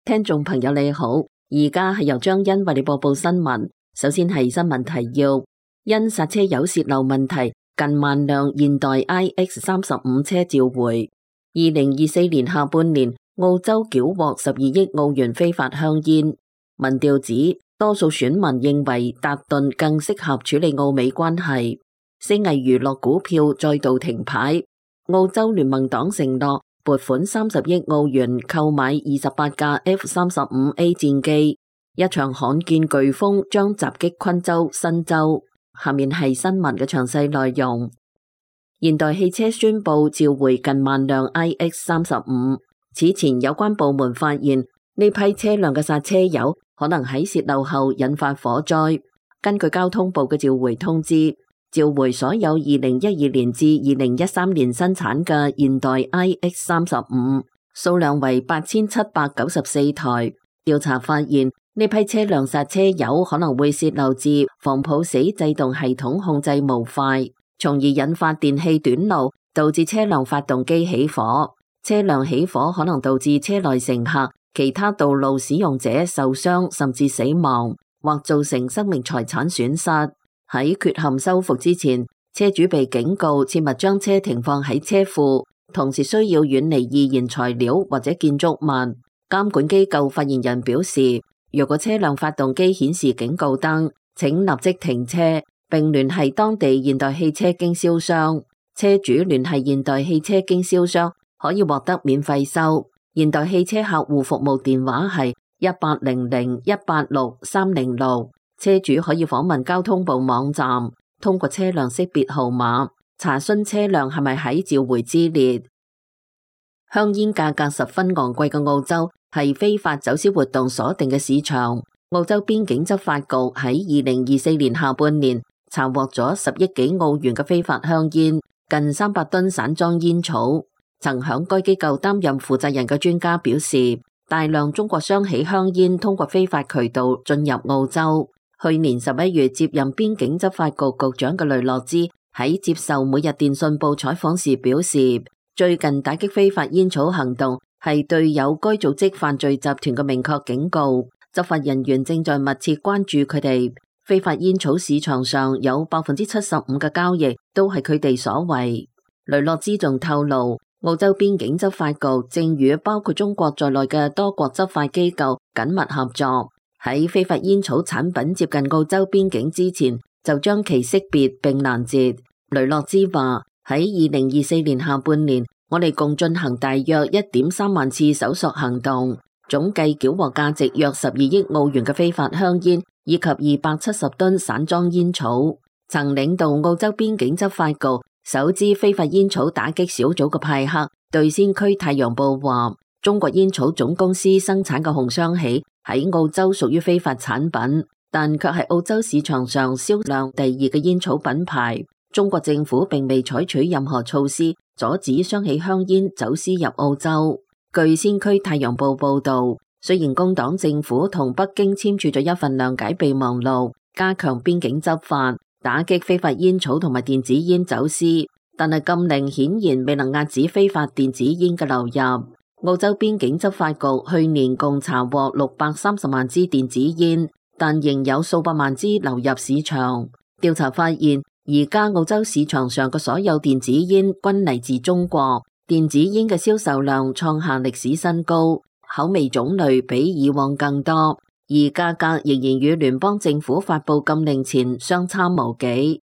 聽眾朋友你好，而家係由張欣為你播報新聞。首先係新聞提要：因剎車油洩漏問題，近萬輛現代 iX35 車召回。2024年下半年，澳洲繳獲12億澳元非法香煙。民調指，多數選民認為達頓更適合處理澳美關係。星藝娛樂股票再度停牌。澳洲聯盟黨承諾撥款30億澳元購買28架 F-35A 戰機。一場罕見颶風將襲擊昆州、新州。下面係新聞嘅詳細內容。現代汽車宣布召回近萬輛 iX35。此前有關部門發現呢批車輛嘅剎車油可能喺洩漏後引發火災。根據交通部嘅召回通知，召回所有2012年至2013年生產嘅現代 iX35，數量為8794台。調查發現，呢批車輛剎車油可能會洩漏至防抱死制動系統控制模塊，從而引發電氣短路，導致車輛發動機起火。車輛起火可能導致車內乘客、其他道路使用者受傷甚至死亡，或造成生命財產損失。喺缺陷修復之前，車主被警告切勿將車停放喺車庫，同時需要遠離易燃材料或者建築物。監管機構發言人表示，若果車輛發動機顯示警告燈，請立即停車並聯繫當地現代汽車經銷商。車主聯繫現代汽車經銷商可以獲得免費修。現代汽車客戶服務電話係1800186306。車主可以訪問交通部網站，通過車輛識別號碼查詢車輛係咪喺召回之列。香煙價格十分昂貴嘅澳洲係非法走私活動鎖定嘅市場。澳洲邊境執法局喺2024年下半年查獲咗10億幾澳元嘅非法香煙，近300噸散裝煙草。曾響該機構擔任負責人嘅專家表示，大量中國雙喜香煙通過非法渠道進入澳洲。去年11月接任邊境執法局局長嘅雷諾茲喺接受每日電訊報採訪時表示，最近打擊非法煙草行動係對有該組織犯罪集團嘅明確警告，執法人員正在密切關注佢哋。非法煙草市場上有75%嘅交易都係佢哋所為。雷諾茲仲透露，澳洲邊境執法局正與包括中國在內嘅多國執法機構緊密合作。喺非法煙草產品接近澳洲邊境之前，就將其識別並攔截。雷諾茲話：喺2024年下半年，我哋共進行大約1.3萬次搜索行動，總計繳獲價值約12億澳元嘅非法香煙，以及270噸散裝煙草。曾領導澳洲邊境執法局首支非法煙草打擊小組嘅派克對先驅太陽報話：中國煙草總公司生產嘅紅雙喜喺澳洲屬於非法產品，但卻係澳洲市場上銷量第2嘅煙草品牌。中國政府並未採取任何措施阻止雙喜香煙走私入澳洲。據先驅太陽報報道，雖然工黨政府同北京簽署咗一份諒解備忘錄，加強邊境執法，打擊非法煙草同埋電子煙走私，但係禁令顯然未能遏止非法電子煙嘅流入。澳洲邊境執法局去年共查獲630萬支電子煙，但仍有數百萬支流入市場。調查發現，而家澳洲市場上嘅所有電子煙均嚟自中國，電子煙嘅銷售量創下歷史新高，口味種類比以往更多，而價格仍然與聯邦政府發布禁令前相差無幾。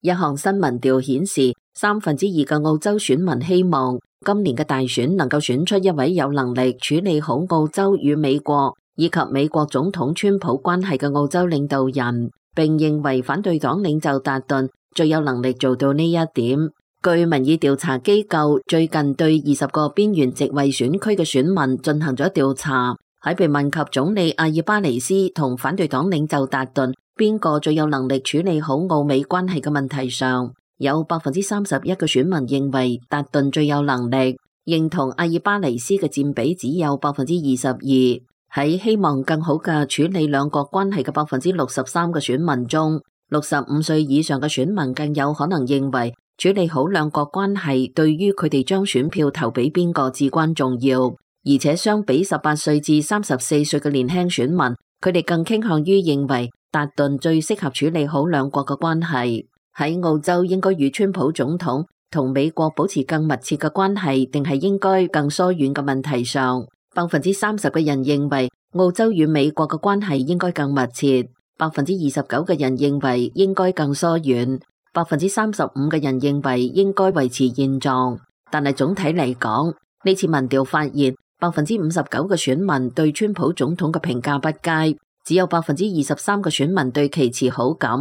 一項新民調顯示，2/3嘅澳洲選民希望今年嘅大選能夠選出一位有能力處理好澳洲與美國以及美國總統川普關係嘅澳洲領導人，並認為反對黨領袖達頓最有能力做到呢一點。據民意調查機構最近對20個邊緣席位選區嘅選民進行咗調查，喺被問及總理阿爾巴尼斯同反對黨領袖達頓邊個最有能力處理好澳美關係嘅問題上，有31%嘅選民認為達頓最有能力，認同阿爾巴尼斯嘅佔比只有22%。喺希望更好嘅處理兩國關係嘅63%嘅選民中，65歲以上嘅選民更有可能認為處理好兩國關係對於佢哋將選票投俾邊個至關重要。而且相比18歲至34歲嘅年輕選民，佢哋更傾向於認為達頓最適合處理好兩國嘅關係。喺澳洲應該與川普總統同美國保持更密切嘅關係，定係應該更疏遠嘅問題上，30%嘅人認為澳洲與美國嘅關係應該更密切，29%嘅人認為應該更疏遠，35%嘅人認為應該維持現狀。但係總體嚟講，呢次民調發現59%嘅選民對川普總統嘅評價不佳，只有23%嘅選民對其持好感。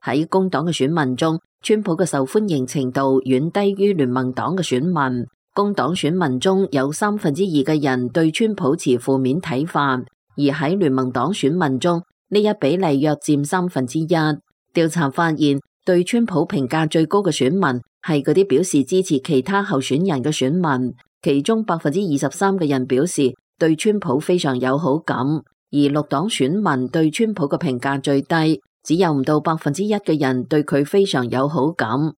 喺工黨嘅選民中，川普嘅受歡迎程度遠低於聯盟黨嘅選民。工黨選民中有2/3嘅人對川普持負面睇法，而喺聯盟黨選民中，呢一比例約佔1/3。調查發現，對川普評價最高嘅選民係嗰啲表示支持其他候選人嘅選民，其中23%嘅人表示對川普非常有好感，而綠黨選民對川普嘅評價最低，只有唔到1%嘅人對佢非常有好感。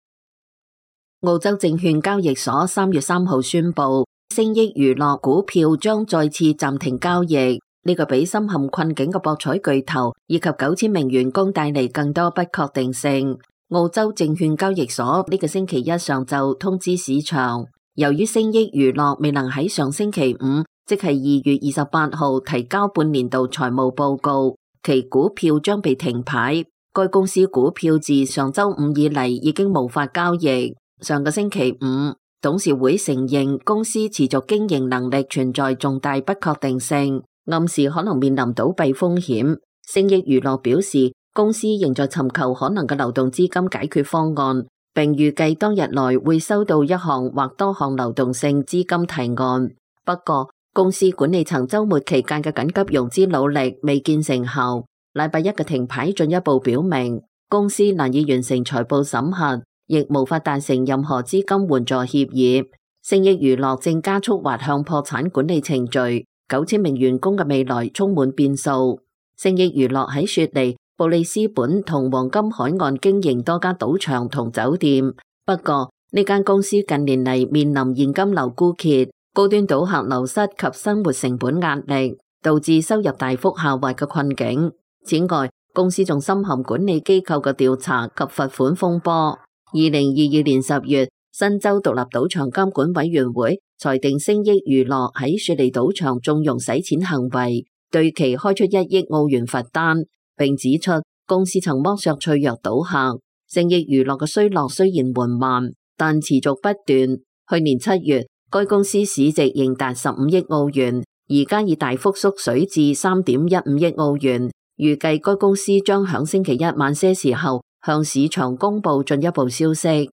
澳洲證券交易所3月3號宣布，星益娛樂股票將再次暫停交易，呢個俾深陷困境嘅博彩巨頭以及9000名員工帶嚟更多不確定性。澳洲證券交易所呢個星期一上晝通知市場，由於星益娛樂未能喺上星期五，即係2月28號提交半年度財務報告，其股票將被停牌。該公司股票自上週五以嚟已經無法交易。上個星期五，董事會承認公司持續經營能力存在重大不確定性，暗示可能面臨倒閉風險。星益娛樂表示，公司仍在尋求可能嘅流動資金解決方案，並預計當日內會收到一項或多項流動性資金提案。不過，公司管理層週末期間嘅緊急融資努力未見成效。禮拜一嘅停牌進一步表明，公司難以完成財報審核，亦無法達成任何資金援助協議。星益娛樂正加速滑向破產管理程序，9000名員工嘅未來充滿變數。星益娛樂喺雪梨、布里斯本同黃金海岸經營多家賭場同酒店，不過呢間公司近年嚟面臨現金流枯竭、高端賭客流失及生活成本壓力，導致收入大幅下滑嘅困境。此外，公司仲深陷管理機構嘅調查及罰款風波。2022年10月，新州獨立賭場監管委員會裁定星益娛樂喺雪梨賭場縱容洗錢行為，對其開出1億澳元罰單，並指出公司曾剝削脆弱賭客。星益娛樂嘅衰落雖然緩慢，但持續不斷。去年7月，該公司市值仍達15億澳元，而家已大幅縮水至3.15億澳元。預計該公司將響星期一晚些時候向市場公布進一步消息。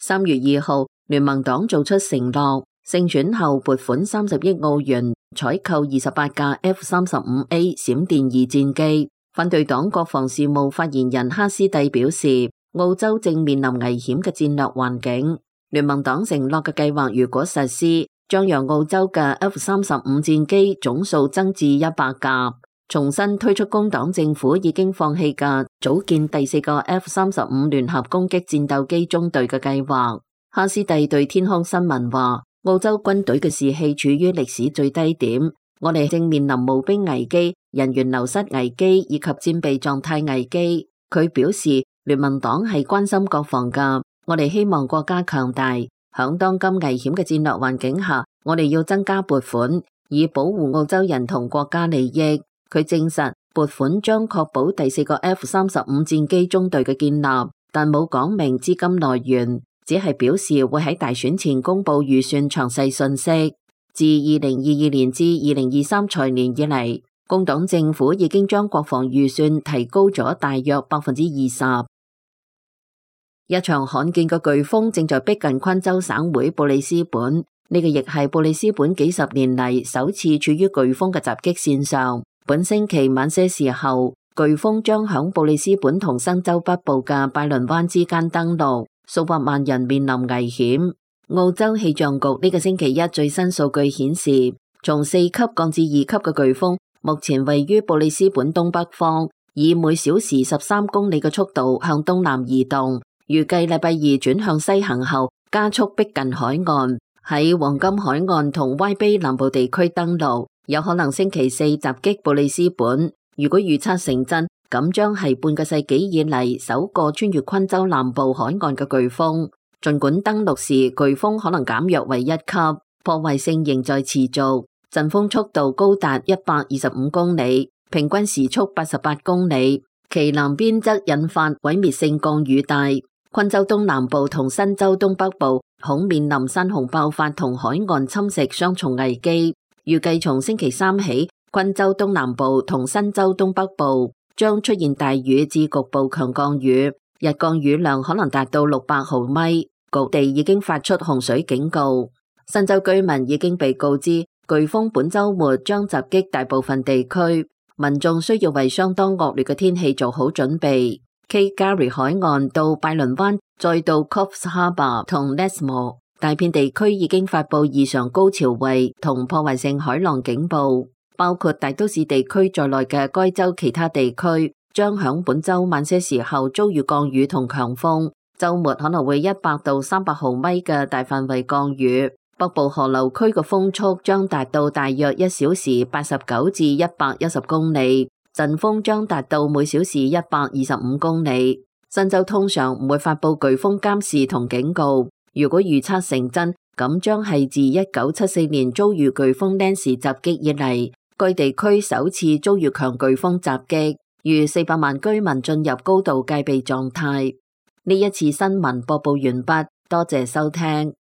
3月2號，聯盟黨做出承諾，勝選後撥款30億澳元採購28架 F-35A 閃電二戰機。反對黨國防事務發言人哈斯蒂表示，澳洲正面臨危險嘅戰略環境。聯盟黨承諾嘅計劃如果實施，將讓澳洲嘅 F-35戰機總數增至100架。重新推出工黨政府已經放棄嘅組建第4個 F-35聯合攻擊戰鬥機中隊嘅計劃。哈斯蒂對天空新聞話，澳洲軍隊嘅士氣處於歷史最低點，我哋正面臨募兵危機、人員流失危機以及戰備狀態危機。佢表示，聯盟黨係關心國防噶，我哋希望國家強大。響當今危險嘅戰略環境下，我哋要增加撥款，以保護澳洲人同國家利益。佢證實撥款將確保第4個 F-35戰機中隊嘅建立，但冇講明資金來源，只係表示會喺大選前公布預算詳細信息。自2022年至2023財年以嚟，工黨政府已經將國防預算提高咗大約20%。一場罕見嘅颶風正在逼近昆州省會布里斯本，呢個亦係布里斯本幾十年嚟首次處於颶風嘅襲擊線上。本星期晚些時候，颶風將響布里斯本同新州北部嘅拜倫灣之間登陸，數百萬人面臨危險。澳洲氣象局呢個星期一最新數據顯示，從4級降至2級嘅颶風，目前位於布里斯本東北方，以每小時13公里嘅速度向東南移動，預計禮拜二轉向西行後加速逼近海岸。喺黃金海岸同歪卑南部地區登陸，有可能星期四襲擊布里斯本。如果預測成真，咁將係半個世紀以嚟首個穿越昆州南部海岸嘅颶風。儘管登陸時颶風可能減弱為1級，破壞性仍在持續，陣風速度高達125公里，平均時速88公里。其南邊則引發毀滅性降雨帶。昆州東南部同新州東北部恐面臨山洪爆發同海岸侵蝕雙重危機。預計從星期三起，昆州東南部同新州東北部將出現大雨至局部強降雨，日降雨量可能達到600毫米，各地已經發出洪水警告。新州居民已經被告知，颶風本週末將襲擊大部分地區，民眾需要為相當惡劣嘅天氣做好準備。Cape Garry 海岸到拜倫灣，再到 Coffs Harbour 同 Lesmo， 大片地區已經發佈異常高潮位同破壞性海浪警報，包括大都市地區在內嘅該州其他地區將響本週晚些時候遭遇降雨同強風，週末可能會100到300毫米嘅大範圍降雨。北部河流區嘅風速將達到大約1小時89至110公里。陣風將達到每小時125公里。新州通常唔會發佈颶風監視同警告。如果預測成真，咁將係自1974年遭遇颶風 Nancy 襲擊以嚟，該地區首次遭遇強颶風襲擊，逾400萬居民進入高度戒備狀態。呢一次新聞播報完畢，多謝收聽。